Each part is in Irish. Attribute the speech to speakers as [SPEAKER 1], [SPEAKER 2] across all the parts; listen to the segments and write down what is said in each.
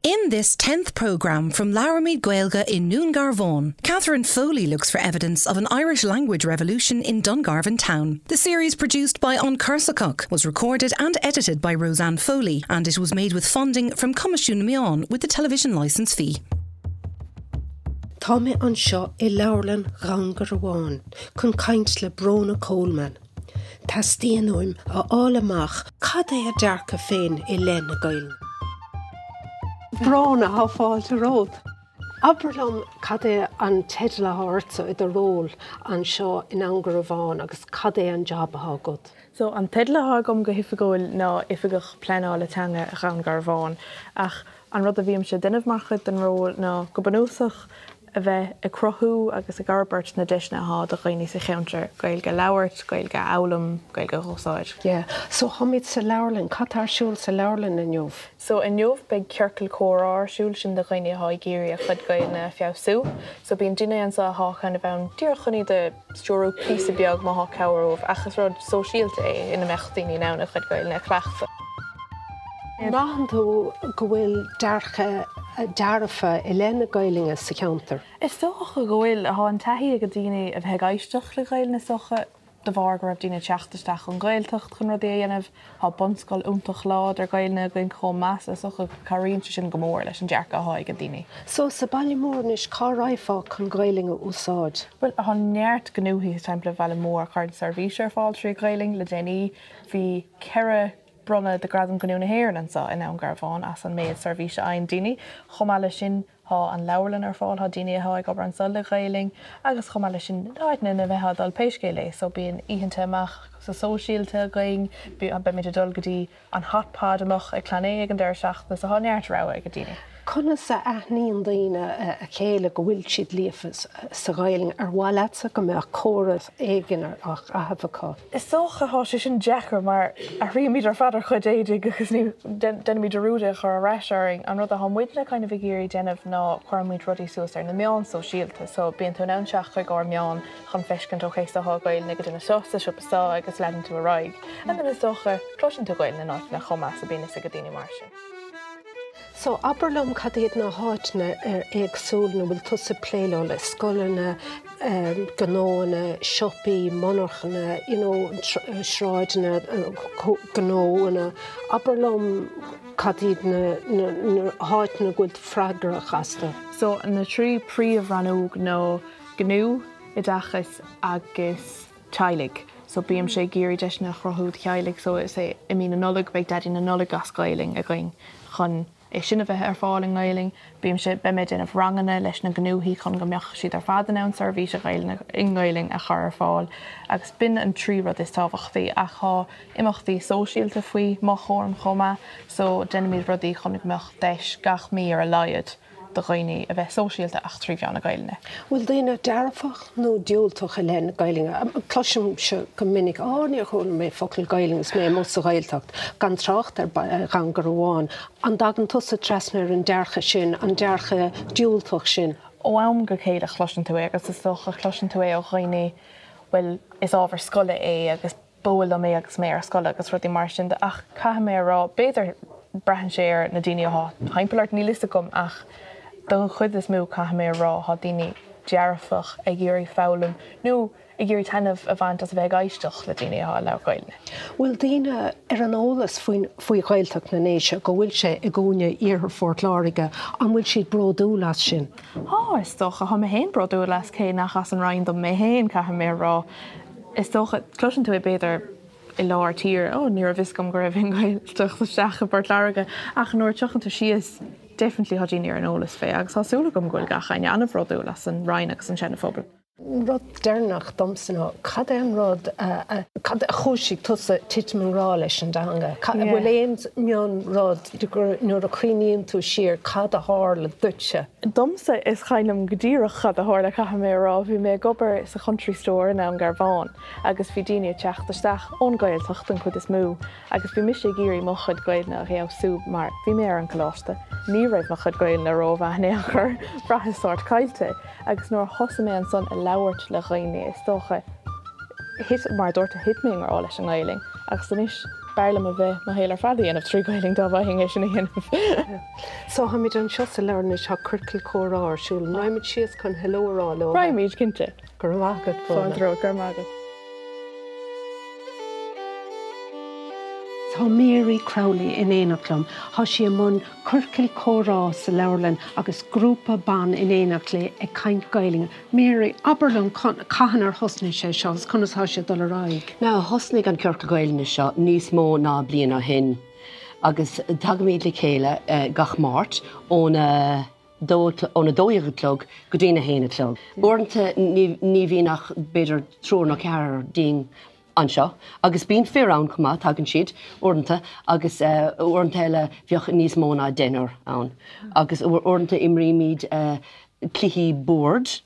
[SPEAKER 1] In this 10th programme from Labhraímid Gaeilge i nDún Garbhán, Catherine Foley looks for evidence of an Irish language revolution in Dungarvan town. The series produced by An Corsacoch was recorded and edited by Roseanne Foley and it was made with funding from Coimisiún na Meán with the television licence fee.
[SPEAKER 2] Tá mé anseo i Leabharlann Dhún Garbhán chun caint le Bróna Coleman. Teastaíonn uaim a fháil amach cad é a dearcadh féin i leith na Gaeilge. Bróna, tá fáilte romhat. Abair liom cad é an teideal atá ortsa i do ról anseo i nDún Garbhán agus cad é an jab atá agat?
[SPEAKER 3] So, an teideal atá agam go hoifigiúil ná Oifigeach Pleanála Teanga Dhún Garbhán ach an rud a bhímse ag déanamh mar chuid den ról ná go bunúsach a bheith ag cruthú agus ag fhorbairt na deiseanna atá do dhaoine sa cheantar Gaeilge a labhairt, Gaeilge a fhoghlaim, Gaeilge a dh'úsáid.
[SPEAKER 2] Yeah. So táimid sa leabharlann. Cad tá ar siúl sa leabharlann inniu?
[SPEAKER 3] So inniu beidh ciorcal comhrá ar siúl, sin do dhaoine atá ag iarraidh a chuid Gaeilge a feabhsú. So bíonn duine anseo atá kind of ann díreach chun iad a stiúradh píosa beag má thá cabhair uaibh ach is rud sóisialta é ina mbeadh daoine in ann a chuid Gaeilge a chleachtadh.
[SPEAKER 2] An mbraitheann tú go bhfuil dearcadh dearfa i leith na Gaelainne sa cheantar?
[SPEAKER 3] Is dócha go bhfuil. Thá an taithí ag daoine a bheith ag éisteacht le Gaelainn is dócha de bharr go raibh daoine ag teacht isteach ón Ghaeltacht chun rudaí a dhéanamh. Tá bunscoil iontach láidir Gaelainne againn chomh maith so is dócha go cabhraíonn sé sin go mór leis an dearcadh athá ag daoine.
[SPEAKER 2] So sa baile mór anois cá raghfá chun Gaelainn a úsáid?
[SPEAKER 3] Bhuel tá neart gnóthaí timpeall an bhaile mór a chuireann seirbhís ar fáil trí Ghaelainn. Le déanaí bhí 4 bronnadh de Gradam Gnó na hÉireann anseo i nDún Garbhán as an méid seirbhíse a fhaigheann daoine. Chomh maith leis sin, tá an leabharlann ar fáil, tá daoine atá ag obair anseo le Gaelainn agus chomh maith leis sin, áiteanna ina mbeifeá ag dul pé scéal é. So bíonn oícheanta amach sa sóisialta againn, beimid ag dul go dtí an Hot Pod amach ag Clann Aodha ag an deireadh seachtaine so tá neart rogha ag daoine.
[SPEAKER 2] Conas a aithníonn daoine a chéile go bhfuil siad líofa sa Ghaelainn? Ar mhaith leatsa go mbeadh comhartha éigin á chaitheamh acu?
[SPEAKER 3] Is dócha, tá sé sin deacair mar athraímid ar fad ár chuid éadaigh agus ní déanaimid dearúd é a chur ar ais orainn. An rud atá muidne kind of ag iarraidh déanamh ná cuirimid rudaí suas ar na meáin sóisialta so bíonn tú in ann teacht chuig ár meáin chun feiscint ok so tá Gaelainn ag an duine seo sa siopa seo agus leanann tú ar aghaidh. And then is dócha cloiseann tú Gaelainn in áiteanna chomh maith so bíonn fhios ag daoine mar sin.
[SPEAKER 2] So, abair liom cad iad na háiteanna éagsúla ina bhfuil tusa ag plé leo, le scoileanna, gnóanna, siopaí, monarchana, you know, sráideanna, gnóanna. Abair liom cad iad na háiteanna go bhfuil tú freagrach astu.
[SPEAKER 3] So, na trí príomh-rannóg ná gnó, oideachas agus. teaghlaigh. So bímse ag iarraidh deiseanna a chruthú do theaghlaigh so is é i mí na Nollag beidh Daidí na Nollag as Gaelainn againn chun é sin a bheith ar fáil i nGaelainn. Bímse, beidh mé ag déanamh ranganna leis na gnóthaí chun go mbeadh siad ar fad in ann seirbhís Ghaelainne i nGaelainn a chur ar fáil agus b'in an trí rud is tábhachtaí ach tá imeachtaí sóisialta faoi mo chúram chomh maith so déanaimid rudaí chun go mbeadh deis gach mí ar a laghad do dhaoine a bheith sóisialta ach trí mheán na Gaelainne.
[SPEAKER 2] Bhfuil daoine dearfach nó diúltach i leith na Gaelainne? Cloisimse go minic, Á, níor chuala mé focal Gaelainne is mé amuigh sa Ghaeltacht, gan trácht ar Dhún Garbhán. An dtagann tusa trasna ar an dearcadh sin, an dearcadh diúltach sin?
[SPEAKER 3] Ó am go chéile cloiseann tú é agus is dócha cloiseann tú é ó dhaoine, bhuel, is ábhar scoile é agus ba fhuath liom é agus mé ar scoil agus rudaí mar sin de ach caithfidh mé a rá, b'fhéidir, braitheann sé ar na daoine atá timpeall ort, níl fhios agam ach don chuid is mó caithfidh mé a rá tá daoine dearfach ag iarraidh foghlaim nó ag iarraidh taitneamh a bhaint as a bheith ag éisteacht le daoine atá ag labhairt Gaelainne.
[SPEAKER 2] Bhfuil daoine ar an eolas faoin faoi Ghaeltacht na nDéise, go bhfuil sé i gcúinne iarthar Phort Láirge, an bhfuil siad bródúil as sin?
[SPEAKER 3] Tá, is dócha. Tá mé féin bródúil as cé nach as an Rinn dom mé féin, caithfidh mé a rá. Is dócha, cloiseann tú é b'fhéidir i lár tíre, oh ní raibh fhios agam go raibh an Ghaeltacht isteach i bPort Láirge, ach nuair a tiocfainn tú síos, definitely tá daoine ar an eolas fé agus tá súil agam go bhfuil gach éinne an-bhródúil as an Rinn agus an Seana Phobal.
[SPEAKER 2] Rud deireanach domsa ná, cad é an rud a, cad a chúisigh tusa titim i ngrá leis an dteanga? An bhfuil aon mion rud nuair a chuimhníonn tú siar cad a tharla duitse?
[SPEAKER 3] Domsa, is cuimhin liom go díreach cad a tharla, caithfidh mé a rá. Bhí mé ag obair sa Country Store i nDún Garbhán agus bhí daoine ag teacht isteach ón Ghaeltacht den chuid is mó agus bhí mise ag iarraidh mo chuid Gaelainne a fheabhsú mar bhí mé ar an gcoláiste, ní raibh mo chuid Gaelainne rómhaith in aon chor, bhraitheas sórt caillte agus nuair a thosaigh mé ansan ag labhairt le dhaoine, is dócha, thit, mar a dúirt tú, thit mé i ngrá leis an nGaelainn agus anois. B'fhearr liom a bheith mo shaol ar fad a dhéanamh trí Ghaelainn dá bhfaighinn é sin a dhéanamh.
[SPEAKER 2] So táimid anseo sa leabharlann anois, tá ciorcal comhrá ar siúl. An raghaimid síos chun hello a rá leo?
[SPEAKER 3] Raghaimid, cinnte.
[SPEAKER 2] Go raibh maith agat, Fóna.
[SPEAKER 3] Fáilte romhat, go raibh maith agat.
[SPEAKER 2] Tá Mary Crowley in éineacht liom. Tá sí i mbun ciorcal comhrá sa leabharlann agus grúpa ban in éineacht léi ag caint Gaelainne. Mary, abair liom cathain ar thosnaigh sé seo agus conas tá sé ag dul ar aghaidh?
[SPEAKER 4] Now, thosnaigh an Ciorcal Gaelainne seo níos mó ná bliain ó shin agus tagaimid le chéile gach Máirt óna óna 12 a chlog go dtína haon a chlog. Uaireanta ní bhíonn ach b'fhéidir triúr nó ceathrar dínn anseo agus bíonn fir ann chomh maith, tagann siad uaireanta agus uaireanta eile bheadh níos mó ná deichniúr ann agus uaireanta imrímid cluichí boird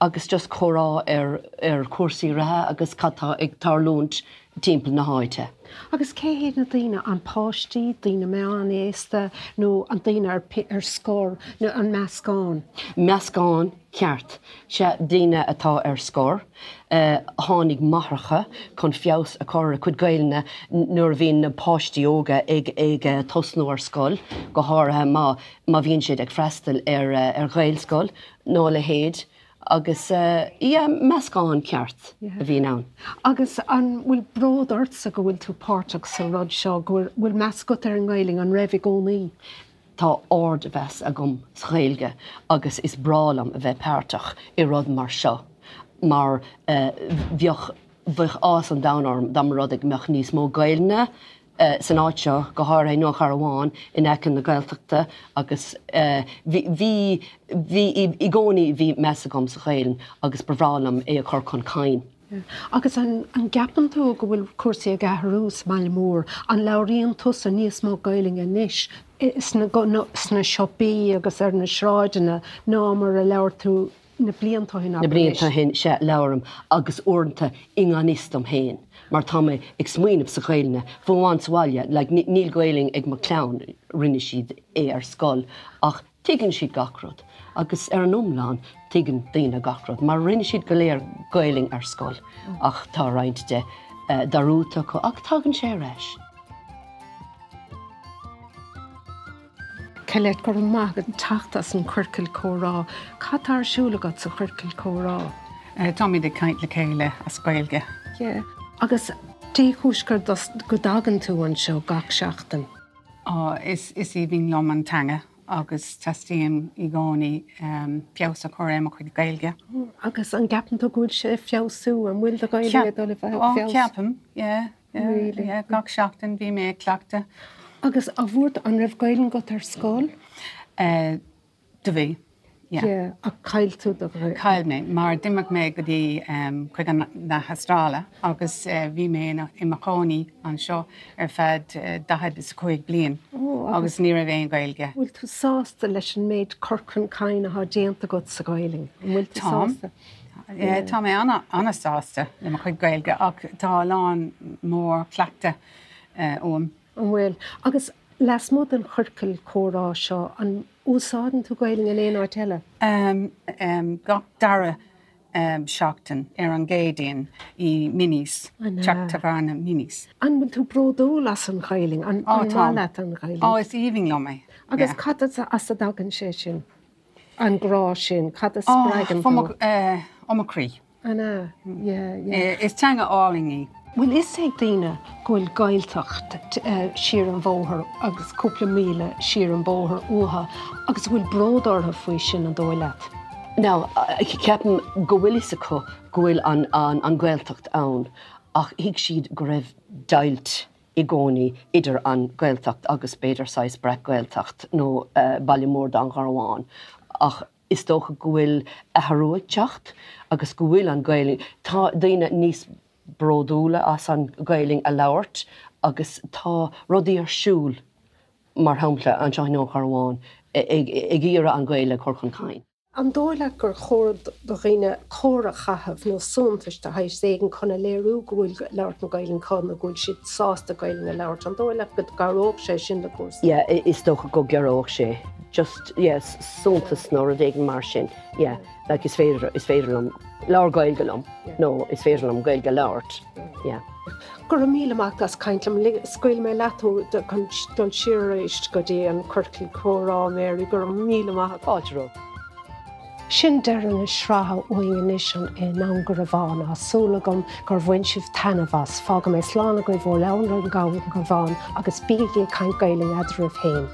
[SPEAKER 4] agus just comhrá ar ar chúrsaí reatha agus cad tá ag tarlúint timpeall na háite.
[SPEAKER 2] Agus cé hiad na daoine, an páistí, daoine meánaosta nó an daoine ar ar scor nó an meascán?
[SPEAKER 4] Meascán ceart. Sea, daoine atá ar scor. Tháinig máithreacha chun feabhas a chur ar a cuid Gaelainne nuair a bhíonn na páistí óga ag ag tosnú ar scoil, go háirithe má má bhíonn siad ag freastal ar ar Ghaelscoil nó a leithéid agus yeah, meascán ceart a bhíonn ann.
[SPEAKER 2] Agus an bhfuil bród ortsa go bhfuil tú páirteach sa rud seo, go bhfuil bhfuil meas agat ar an nGaelainn, an raibh i gcónaí?
[SPEAKER 4] Tá ardmheas agam sa Ghaeilge agus is breá liom a bheith páirteach i rud mar seo mar bheadh bheadh áthas an domhain orm dá mba rud é go mbeadh níos mó Gaelainne san áit seo, go háirithe i nDún Garbhán in aice na Gaeltachta agus bhí bhí bhí i gcónaí bhí meas agam sa Ghaelainn agus ba bhreá liom é a chur chun cinn.
[SPEAKER 2] Agus an gceapann tú go bhfuil cúrsaí ag athrú sa mbaile mór? An labhraíonn tusa níos mó Gaelainne anois sna siopaí agus ar na sráideanna ná mar a labhair tú na blianta ó shin,
[SPEAKER 4] Na blianta ó shin, sea, labhraím agus uaireanta i ngan fhios dom féin mar tá mé ag smaoineamh sa Ghaelainne, fiú amháin sa bhaile, like níl Gaelainn ag mo chlann, rinne siad é ar scoil ach Tuigeann siad gach rud agus ar an iomlán tuigeann daoine gach rud mar rinne siad go léir Gaelainn ar scoil ach tá roinnt de dearúdta acu ach tagann sé ar ais.
[SPEAKER 2] Colette, go raibh maith agat teacht as an Chiorcal Comhrá. Cad tá ar siúl agat sa Chiorcal Comhrá?
[SPEAKER 5] Táimid ag caint le chéile as Gaeilge.
[SPEAKER 2] Yeah. Agus dé chúis go dtagann tú anseo gach seachtain?
[SPEAKER 5] Á, is aoibhinn liom an teanga agus teastaíonn i gcónaí feabhas a chur ar mo chuid Gaeilge.
[SPEAKER 2] Agus an gceapann tú go bhfuil sé ag feabhsú? An bhfuil do Ghaeilge ag dul i bhfeabhas?
[SPEAKER 5] Á, ceapaim, yeah, yeah, Really? yeah, gach seachtain bhí mé ag cleachtadh.
[SPEAKER 2] Agus a bhfuair, an raibh Gaeilge agat ar scoil?
[SPEAKER 5] Do bhí, yeah.
[SPEAKER 2] Yeah, ach chaill tú do
[SPEAKER 5] Ghaeilge. Chaill mé, mar d'imigh mé go dtí chuig an na hAstráile agus bhí mé i mo chónaí anseo ar feadh 45 bliain agus ní raibh aon Ghaeilge.
[SPEAKER 2] Bhfuil tú sásta leis an méid cur chun cinn atá déanta agat sa Ghaeilge? An bhfuil tú
[SPEAKER 5] sásta? Táim. Tá mé an-sásta le mo chuid Gaeilge ach tá a lán mór cleachtadh uaim.
[SPEAKER 2] An bhfuil? Agus lasmuigh den chiorcal comhrá seo, an úsáideann tú Gaeilge in aon áit eile?
[SPEAKER 5] Gach dara seachtain ar an gCéadaoin i Minnie's, teach tábhairne Minnie's.
[SPEAKER 2] An bhfuil tú bródúil as an Ghaeilge? An maith leat an Ghaeilge?
[SPEAKER 5] Á, is aoibhinn liom é.
[SPEAKER 2] Agus cad as a dtagann sé sin? An grá sin, cad a spreagann
[SPEAKER 5] tú? Ó mo chroí.
[SPEAKER 2] An ea? Yeah,
[SPEAKER 5] yeah. Is teanga álainn í.
[SPEAKER 2] Bhfuil fhios ag daoine go bhfuil Gaeltacht siar an bhóthar agus cúpla míle siar an bóthar uathu agus bhfuil bród orthu faoi sin, an dóigh leat?
[SPEAKER 4] Now, ceapaim go bhfuil fhios acu go bhfuil an an Ghaeltacht ann ach thuig siad go raibh deighilt i gcónaí idir an Ghaeltacht agus b'fhéidir saghas breac-Ghaeltacht nó baile mór Dún Garbhán ach Is dócha go bhfuil athrú ag teacht agus go bhfuil an Ghaelainn, tá daoine níos bródúla as an Ghaelainn a labhairt agus tá rudaí ar siúl, mar shampla anseo i nDún Garbhán, ag iarraidh an Ghaeilge a chur chun cinn.
[SPEAKER 2] An dóigh leat gur chóir do dhaoine comhartha a chaitheamh nó suntais de shaghas éigin chun a léiriú go bhfuil labhairt na Gaelainne acu nó go bhfuil siad sásta Gaelainn a labhairt? An dóigh leat go gcabhródh sé sin le cúrsaí?
[SPEAKER 4] Yeah, is dócha go gcabhródh sé. Just, yeah, suntas nó rud éigin mar sin, yeah, like is féidir, is féidir liom Labhair Gaeilge liom nó is féidir liom Gaeilge a labhairt. Yeah.
[SPEAKER 2] Go raibh míle maith agat as caint liom. Scaoilfidh mé leat thú chun dul siar arís go dtí an ciorcal comhrá, Mary. Go raibh míle maith agat.
[SPEAKER 4] Fáilte romhat.
[SPEAKER 2] Sin deireadh na sraithe uainn anois i nDún Garbhán. Tá súil agam gur bhain sibh taitneamh as. Fágfaidh mé slán agaibh ó Dhún Garbhán agus bígí ag caint Gaelainn eadraibh féin.